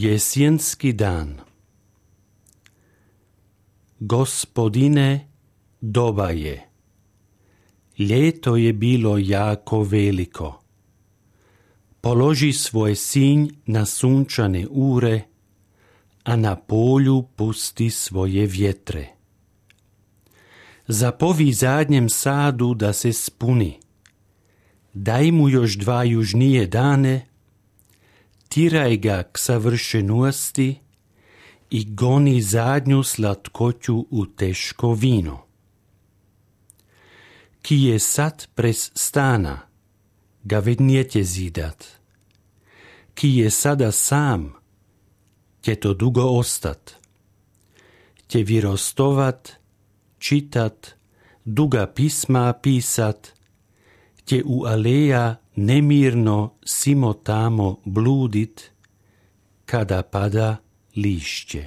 Jesjenski dan. Gospodine, doba je. Ljeto je bilo jako veliko. Položi svoj sinj na sunčane ure, a na polju pusti svoje vjetre. Zapovi zadnjem sadu da se spuni. Daj mu još 2 južnije dane, tiraj ga k savršenosti i goni zadnju slatkoću u teško vino. Ki je sad pres stana, ga vednijete zidat. Ki je sada sam, će to dugo ostat. Će virostovat, čitat, duga pisma pisat, će u aleja nemirno simo tamo bludit, kada pada lišće.